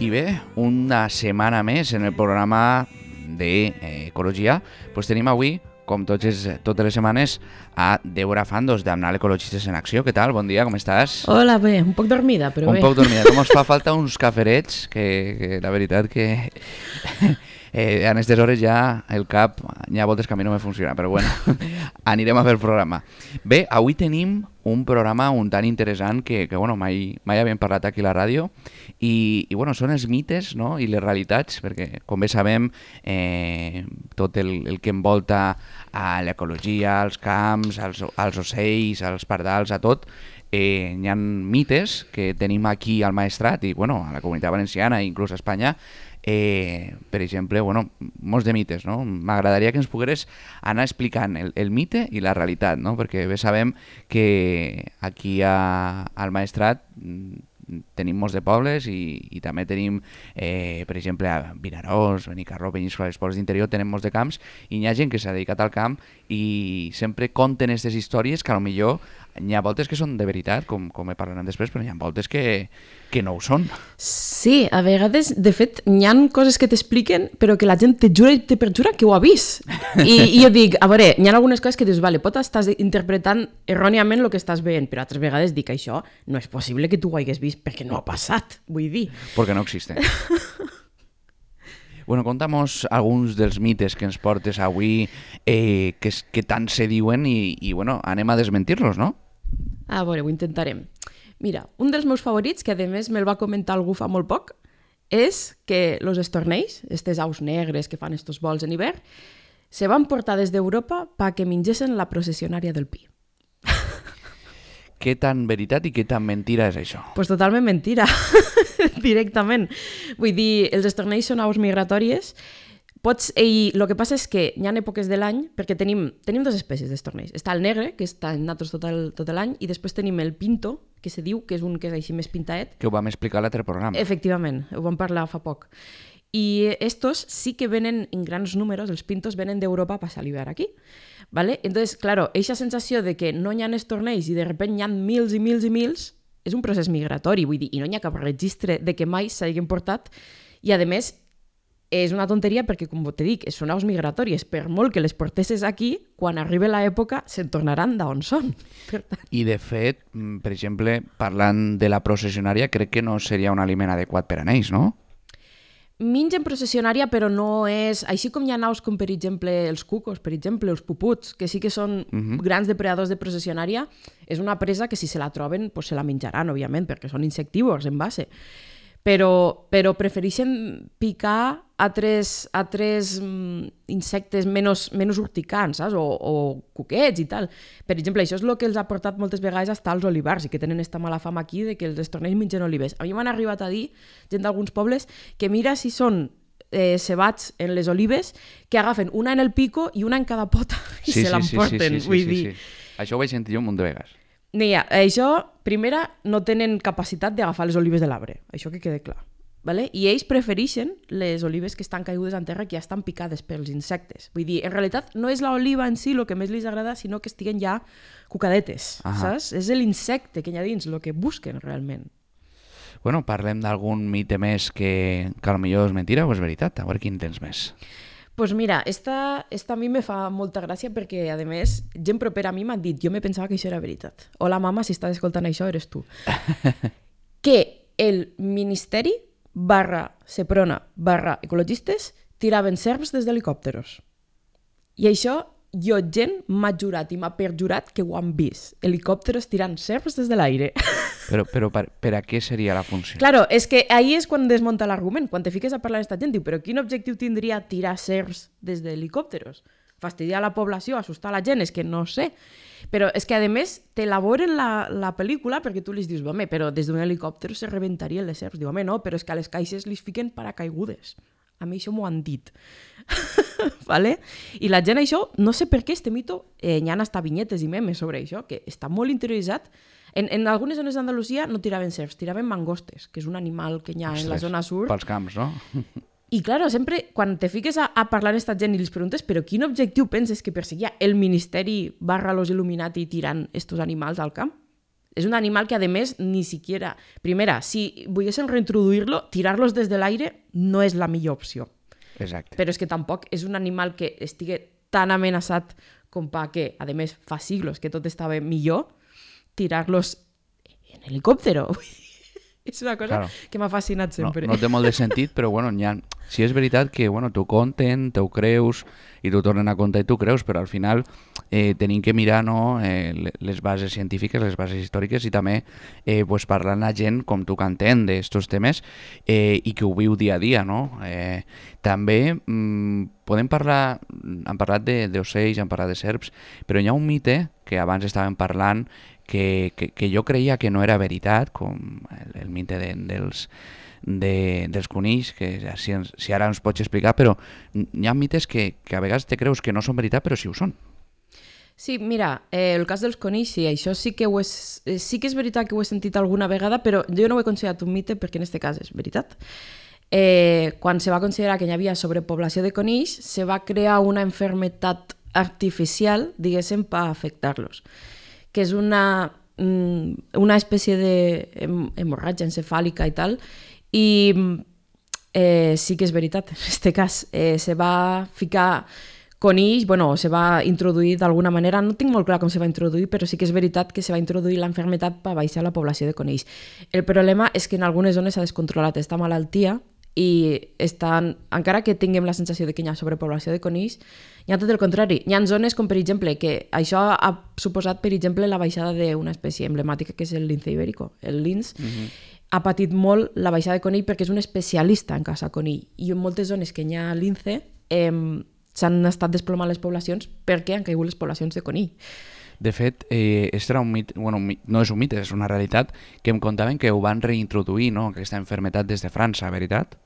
I bé, una setmana més en el programa d'Ecologia, tenim avui, com totes les setmanes, a Débora Fandos, d'Amnal Ecologistes en Acció. Què tal? Bon dia, com estàs? Hola, bé, un poc dormida, però bé. Un poc dormida. Com us fa falta uns caferets, que la veritat que en aquestes hores ja el cap, hi ha voltes que a mi no me funciona, però bueno, anirem a fer el programa. Bé, avui tenim un programa un tant interessant que bueno, mai havíem parlat aquí a la ràdio i bueno, són els mites, no? I les realitats, perquè com bé sabem tot el que envolta a l'ecologia, als camps, als ocells, als pardals, a tot, hi ha mites que tenim aquí al Maestrat i bueno, a la Comunitat Valenciana i inclús a Espanya. Per exemple, bueno, molts de mites, no? M'agradaria que ens pogueres anar explicant el mite i la realitat, no? Perquè bé sabem que aquí al Maestrat tenim molts de pobles i també tenim, per exemple, a Vinaròs, Benicarló, Peníscola, els pobles d'interior, tenem molts de camps i hi ha gent que s'ha dedicat al camp i sempre conten aquestes històries que potser n'hi ha voltes que són de veritat, com he parlat després, però n'hi ha voltes que no ho són. Sí, a vegades, de fet, n'hi ha coses que t'expliquen, però que la gent te jura i te perjura que ho ha vist. I jo dic, a veure, n'hi ha algunes coses que dius, vale, estàs interpretant erròniament el que estàs veient, però altres vegades dic, això no és possible que tu ho hagués vist perquè no ha passat, vull dir. Perquè no existe. Bueno, conta'mos alguns dels mites que ens portes avui que tant se diuen i bueno, anem a desmentir-los, no? A veure, ho intentarem. Mira, un dels meus favorits, que a més me'l va comentar algú fa molt poc, és que els estornells, aquestes aus negres que fan estos vols en hivern, se van portar des d'Europa perquè mengessin la processionària del pi. Què tan veritat i què tan mentira és això? Pues totalment mentira, directament. Vull dir, els estornells són aus migratòries. El que passa és que hi ha èpoques de l'any, perquè tenim dues espècies d'estornells. Està el negre, que està en natros tot l'any, i després tenim el pinto, que se diu, que és un que és així més pintaet. Que ho vam explicar a l'altre programa. Efectivament, ho vam parlar fa poc. I estos sí que venen en grans números, els pintos venen d'Europa a passar l'hivern aquí. ¿Vale? Entonces, claro, eixa sensació de que no hi ha estornells i de repente hi ha mils i mils i mils, és un procés migratori, vull dir, i no hi ha cap registre de que mai s'hagin portat, i a més és una tonteria perquè, com te dic, són aus migratòries, per molt que les portessis aquí, quan arribi l'època se'n tornaran d'on són. I de fet, per exemple, parlant de la processionària, crec que no seria un aliment adequat per a ells, no? Mengen processionària, però no és... Així com hi ha aus com, per exemple, els cucos, per exemple, els puputs, que sí que són grans depredadors de processionària, és una presa que si se la troben, pues se la menjaran, òbviament, perquè són insectívors en base. Però prefereixen picar altres insectes menys urticants, saps? O cuquets i tal. Per exemple, això és el que els ha portat moltes vegades a estar als olivars i que tenen esta mala fama aquí de que els estornells mengen olives. A mi m'han arribat a dir, gent d'alguns pobles, que mira si són cebats en les olives, que agafen una en el pico i una en cada pota i se l'emporten, vull dir. Això ho vaig sentir jo un munt de vegades. Mira, això, primera, no tenen capacitat d'agafar les olives de l'arbre, això que quede clar. Vale? I ells prefereixen les olives que estan caigudes en terra, que ja estan picades pels insectes. Vull dir, en realitat no és l'oliva en si el que més els agrada, sinó que estiguen ja cucadetes, saps? És l'insecte que hi ha dins el que busquen realment. Bueno, parlem d'algun mite més que potser és mentira o és veritat. A veure quin tens més. Pues mira, esta a mi me fa molta gràcia perquè, a més, gent propera a mi m'ha dit, jo me pensava que això era veritat. Hola, mama, si estàs escoltant això, eres tu. Que el Ministeri /Seprona /Ecologistes tiraven serps des d'helicòpteros. I això, gent m'ha jurat i m'ha perjurat que ho han vist. Helicòpteros tirant serps des de l'aire. Però per a què seria la funció? Claro, és que ahí és quan desmunta l'argument. Quan te fiques a parlar d'esta gent, diu, però quin objectiu tindria tirar serps des d'helicòpteros? Fastidiar la població, assustar la gent, és que no sé. Però és que, a més, t'elaboren la pel·lícula perquè tu li dius, home, però des d'un helicòpter se rebentarien les serps. Diu, home, no, però és que a les caixes li fiquen paracaigudes. A mi això m'ho han dit. ¿Vale? I la gent això, no sé per què este mito, hi ha hasta vinyetes i memes sobre això, que està molt interioritzat. En algunes zones d'Andalusia no tiraven serps, tiraven mangostes, que és un animal que hi ha en la zona sur. Pels camps, no? I, claro, sempre, quan te fiques a parlar amb aquesta gent i els preguntes però quin objectiu penses que perseguia el Ministeri / los Illuminati tirant estos animals al camp? És un animal que, a més, ni siquiera... Primera, si volguessin reintroduir-lo, tirar-los des de l'aire no és la millor opció. Exacte. Però és que tampoc és un animal que estigui tan amenaçat com que, a més, fa siglos que tot estava millor, tirar-los en helicòptero. És una cosa que m'ha fascinat sempre. No té molt de sentit, però bueno, si és veritat que t'ho conten, t'ho creus i t'ho tornen a contar i t'ho creus, però al final tenim que mirar les bases científiques, les bases històriques i també parlar amb la gent com tu que entén d'estos temes i que ho viu dia a dia. No? També podem parlar, hem parlat d'ocells, hem parlat de serps, però hi ha un mite que abans estàvem parlant que jo creia que no era veritat, com el mite dels conills, que si ara ens pots explicar, però hi ha mites que a vegades te creus que no són veritat, però sí ho són. Sí, mira, el cas dels conills, sí, això sí que sí que és veritat que ho he sentit alguna vegada, però jo no ho he considerat un mite perquè en aquest cas és veritat. Quan se va considerar que hi havia sobrepoblació de conills, se va crear una malaltia artificial, diguéssim, per afectar-los, que és una espècie d'hemorràgia encefàlica i tal, i sí que és veritat, en aquest cas se va ficar conills, se va introduir d'alguna manera, no tinc molt clar com se va introduir, però sí que és veritat que se va introduir la malaltia per baixar la població de conills. El problema és que en algunes zones s'ha descontrolat aquesta malaltia i encara que tinguem la sensació de que hi ha sobrepoblació de conills, hi ha tot el contrari. Hi ha zones com, per exemple, que això ha suposat, per exemple, la baixada d'una espècie emblemàtica que és el lince ibérico. El lince ha patit molt la baixada de conill perquè és un especialista en caçar conill. I en moltes zones que hi ha lince s'han estat desplomant les poblacions perquè han caigut les poblacions de conill. De fet, era un mit, no és un mite, és una realitat, que em contaven que ho van reintroduir, no?, aquesta malaltia des de França, veritat?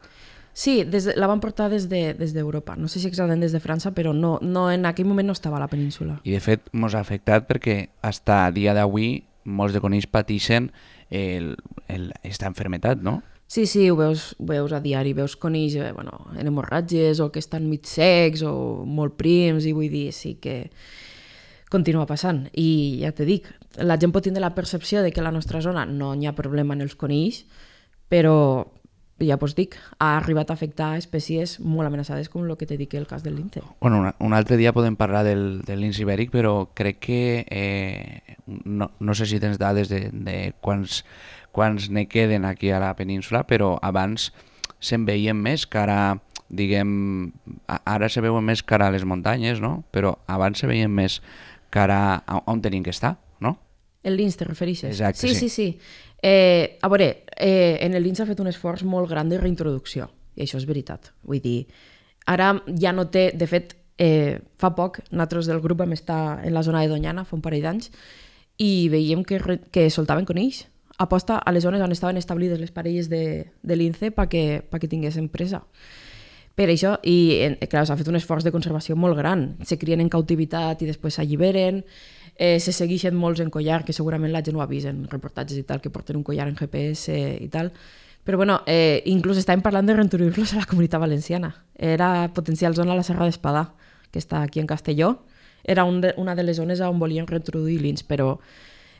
Sí, la van portar des d'Europa. No sé si exactament des de França, però no, en aquell moment no estava a la península. I de fet ens ha afectat perquè fins a dia d'avui molts de conills pateixen aquesta malaltia, no? Sí, ho veus a diari, veus conills en hemorràgies o que estan mig secs o molt prims, i vull dir, sí que continua passant. I ja te dic, la gent pot tindre la percepció de que a la nostra zona no hi ha problema en els conills, però ja us dic, ha arribat a afectar espècies molt amenaçades com el que t'he dit, el cas del lince. Bueno, un altre dia podem parlar del lince ibèric, però crec que no sé si tens dades de quants ne queden aquí a la península, però abans se'n veien més cara, diguem, ara se veuen més cara a les muntanyes, no? Però abans se veien més cara on tenim que estar, no? El lince, te refereixes? Exacte, sí. A veure, en el lince ha fet un esforç molt gran de reintroducció, i això és veritat. Vull dir, ara ja no té... De fet, fa poc, nosaltres del grup vam estar en la zona de Doñana, fa un parell d'anys, i veiem que soltaven conills aposta a les zones on estaven establides les parelles de lince perquè tinguessin presa. Per això, i clar, s'ha fet un esforç de conservació molt gran. Se crien en cautivitat i després s'alliberen, se segueixen molts en collar, que segurament la gent ho ha vist en reportatges i tal, que porten un collar en GPS i tal. Però bueno, inclús estàvem parlant de reintroduir-los a la Comunitat Valenciana. Era potencial zona a la Serra d'Espadà, que està aquí en Castelló. Era una de les zones on volien reintroduir lince, però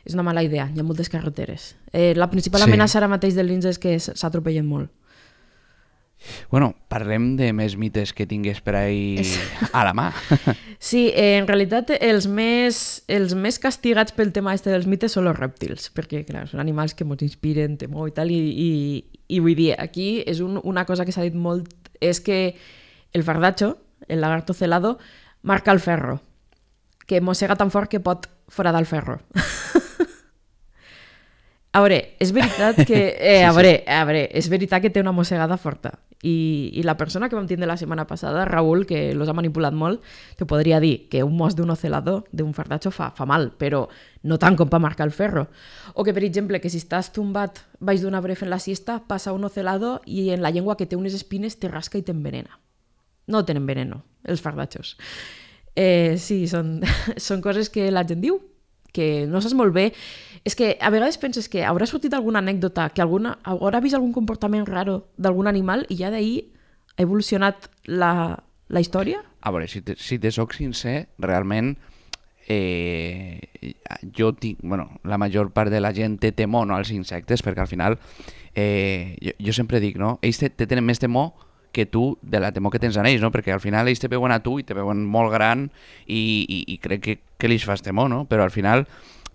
és una mala idea, hi ha moltes carreteres. La principal amenaça ara mateix del lince és que s'atropellen molt. Bueno, parlem de més mites que tingués per ahí a la mà. Sí, en realitat els més castigats pel tema dels mites són els rèptils, perquè clar, són animals que ens inspiren temor i tal, i vull dir, aquí és una cosa que s'ha dit molt, és que el fardacho, el lagarto celado, marca el ferro, que mossega tan fort que pot foradar el ferro. A veure, és veritat que... és veritat que té una mossegada forta. I la persona que vam tindre la setmana passada, Raül, que los ha manipulat molt, te podria dir que un mos d'un ocelador, d'un fardacho, fa mal, però no tant com per marcar el ferro. O que, per exemple, que si estàs tombat baix d'un arbre fent la siesta, passa un ocelador i en la llengua que té unes espines te rasca i t'envenena. No tenen veneno, els fardachos. Sí, són coses que la gent diu, que no saps molt bé. És que a vegades penses que haurà sortit alguna anècdota, que haurà vist algun comportament raro d'algun animal i ja d'ahir ha evolucionat la història? A veure, si te soc sincer, realment la major part de la gent té temor, no, als insectes, perquè al final, jo sempre dic, no? Ells te tenen més temor que tu de la temor que tens en ells, no? Perquè al final ells te veuen a tu i te veuen molt gran i crec que ells fas temor, no? Però al final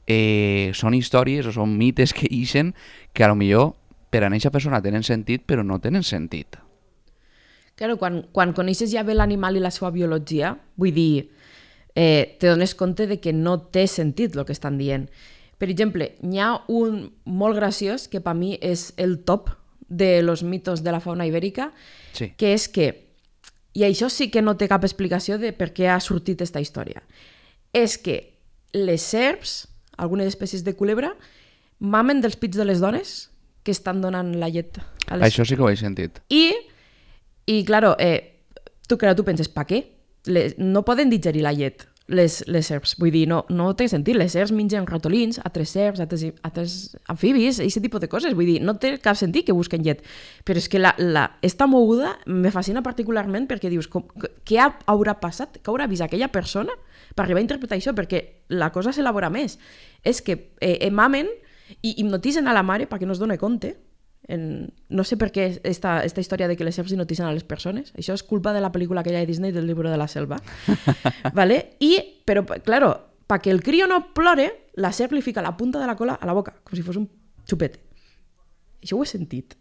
són històries o són mites que ixen que a lo millor per a aquesta persona tenen sentit però no tenen sentit. Claro, quan coneixes ja bé l'animal i la seva biologia, vull dir, te dones compte de que no té sentit el que estan dient. Per exemple, n'hi ha un molt graciós que per mi és el top de los mitos de la fauna ibèrica, Sí. que és que, i això sí que no té cap explicació de per què ha sortit aquesta història, és que les serps, algunes espècies de culebra, mamen dels pits de les dones que estan donant la llet a les... Això sí que ho he sentit. I claro, tu penses, per què? No poden digerir la llet, les serps. Vull dir, no té sentit. Les serps mengen ratolins, altres serps, altres amfibis, aquest tipus de coses. Vull dir, no té cap sentit que busquen llet. Però és que esta moguda me fascina particularment perquè dius, què haurà passat? Què haurà vist aquella persona per arribar a interpretar això? Perquè la cosa s'elabora més. És que mamen i hipnotitzen a la mare perquè no es doni compte. No sé per què esta història de que les serps hipnotitzen a les persones. Això és culpa de la pel·lícula aquella de Disney del Libro de la Selva. ¿Vale? Però, claro, perquè el crio no plore, la serp li fica la punta de la cola a la boca, com si fos un xupete. Això ho he sentit.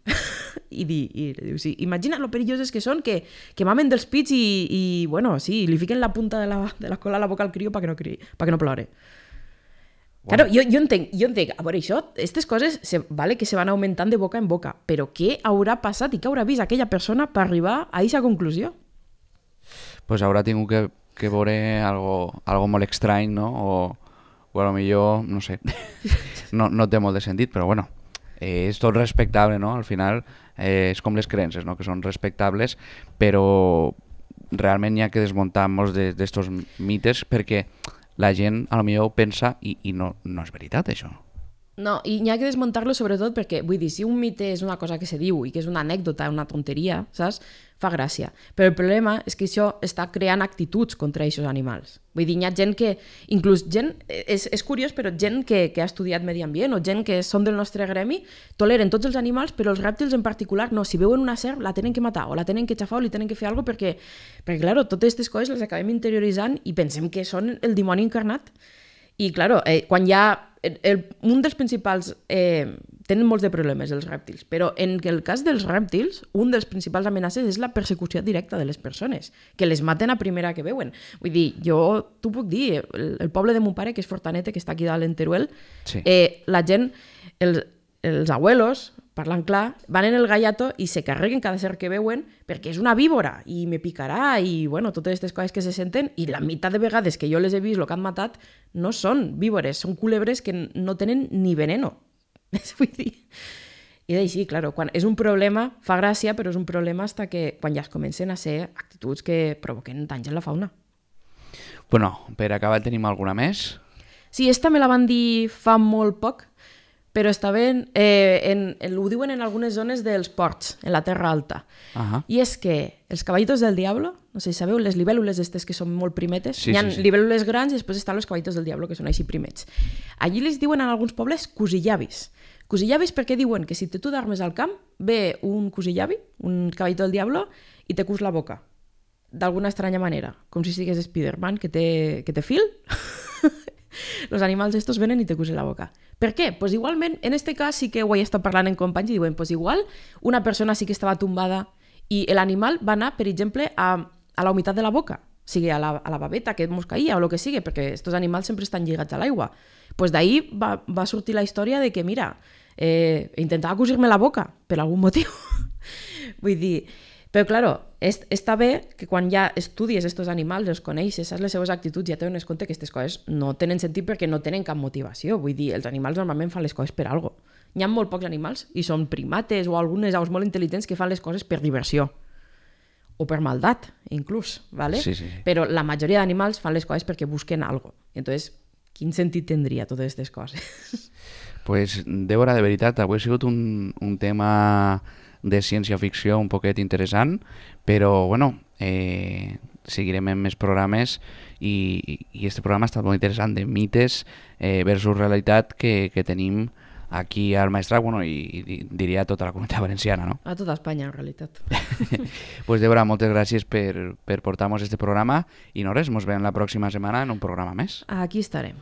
I diu, sí, imagina lo perilloses que són, que mamen dels pits i bueno, sí, li fiquen la punta de la cola a la boca al crio perquè no plore. Wow. Claro, jo entenc, a veure, això, aquestes coses vale que se van augmentant de boca en boca, però què haurà passat i què haurà vist aquella persona per arribar a aquesta conclusió? Pues haurà tingut que veure algo molt estrany, no? O a lo millor, no sé, no té molt de sentit, però bueno, és tot respectable, no? Al final és com les creences, no? Que són respectables, però realment hi ha que desmuntar molts d'estos mites perquè la gent a lo millor pensa i no és veritat això. No, i n'hi ha que desmuntar-lo sobretot perquè, vull dir, si un mite és una cosa que se diu i que és una anècdota, una tonteria, saps? Fa gràcia. Però el problema és que això està creant actituds contra aquests animals. Vull dir, hi ha gent que, inclús gent, és curiós, però gent que ha estudiat medi ambient o gent que són del nostre gremi, toleren tots els animals, però els rèptils en particular no. Si veuen una serp, la tenen que matar, o la tenen que xafar, o li tenen que fer alguna cosa, perquè claro, totes aquestes coses les acabem interioritzant i pensem que són el dimoni encarnat. I, claro, quan hi ha... un dels principals... tenen molts de problemes, els rèptils, però en el cas dels rèptils, un dels principals amenaces és la persecució directa de les persones, que les maten a primera que veuen. Vull dir, t'ho puc dir, el poble de mon pare, que és Fortanete, que està aquí dalt en Teruel, sí. La gent, els abuelos, parlant clar, van en el gallato i se carreguen cada ser que veuen perquè és una víbora i me picarà i bueno, totes aquestes coses que se senten i la meitat de vegades que jo les he vist el que han matat no són víbores, són culebres que no tenen ni veneno. Vull dir... I així, claro, quan és un problema, fa gràcia, però és un problema fins que quan ja es comencen a ser actituds que provoquen danys en la fauna. Bueno, per acabar tenim alguna més? Sí, esta me la van dir fa molt poc, però està bé, ho diuen en algunes zones dels ports, en la Terra Alta. I és que els caballitos del diablo, no sé si sabeu, les libèl·lules aquestes que són molt primetes, hi ha libèl·lules grans i després estan els caballitos del diablo, que són així primets. Allí les diuen en alguns pobles cusillavis. Cusillavis perquè diuen que si tu dormes al camp, ve un cusillavi, un caballito del diablo, i te cus la boca, d'alguna estranya manera, com si sigués Spider-Man, que té fil. Los animals estos venen i te cusen la boca. Per què? Pues igualment, en este cas sí que ho he estat parlant en companys i diuen, pues igual una persona sí que estava tombada i l'animal va anar, per exemple, a la humitat de la boca, sigui a la babeta que mos caïa o el que sigui, perquè estos animals sempre estan lligats a l'aigua. Pues d'ahir va sortir la història de que, mira, intentava cosir-me la boca per algun motiu. Vull dir... Però, claro, està bé que quan ja estudies aquests animals, els coneixes, saps les seves actituds, ja te dones compte que aquestes coses no tenen sentit perquè no tenen cap motivació. Vull dir, els animals normalment fan les coses per alguna cosa. Hi ha molt pocs animals, i són primates o algunes aus molt intel·ligents que fan les coses per diversió. O per maldat, inclús, ¿vale? Sí. Però la majoria d'animals fan les coses perquè busquen alguna cosa. Entonces, quin sentit tindria totes aquestes coses? Pues, Débora, de veritat, avui ha sigut un tema de ciència-ficció un poquet interessant, però, bueno, seguirem en més programes i este programa ha estat molt interessant, de mites versus realitat que tenim aquí al Maestrat, bueno, i diria a tota la comunitat valenciana, no? A tota Espanya, en realitat. Pues Débora, moltes gràcies per portar-nos este programa i no res, mos veiem la pròxima setmana en un programa més. Aquí estarem.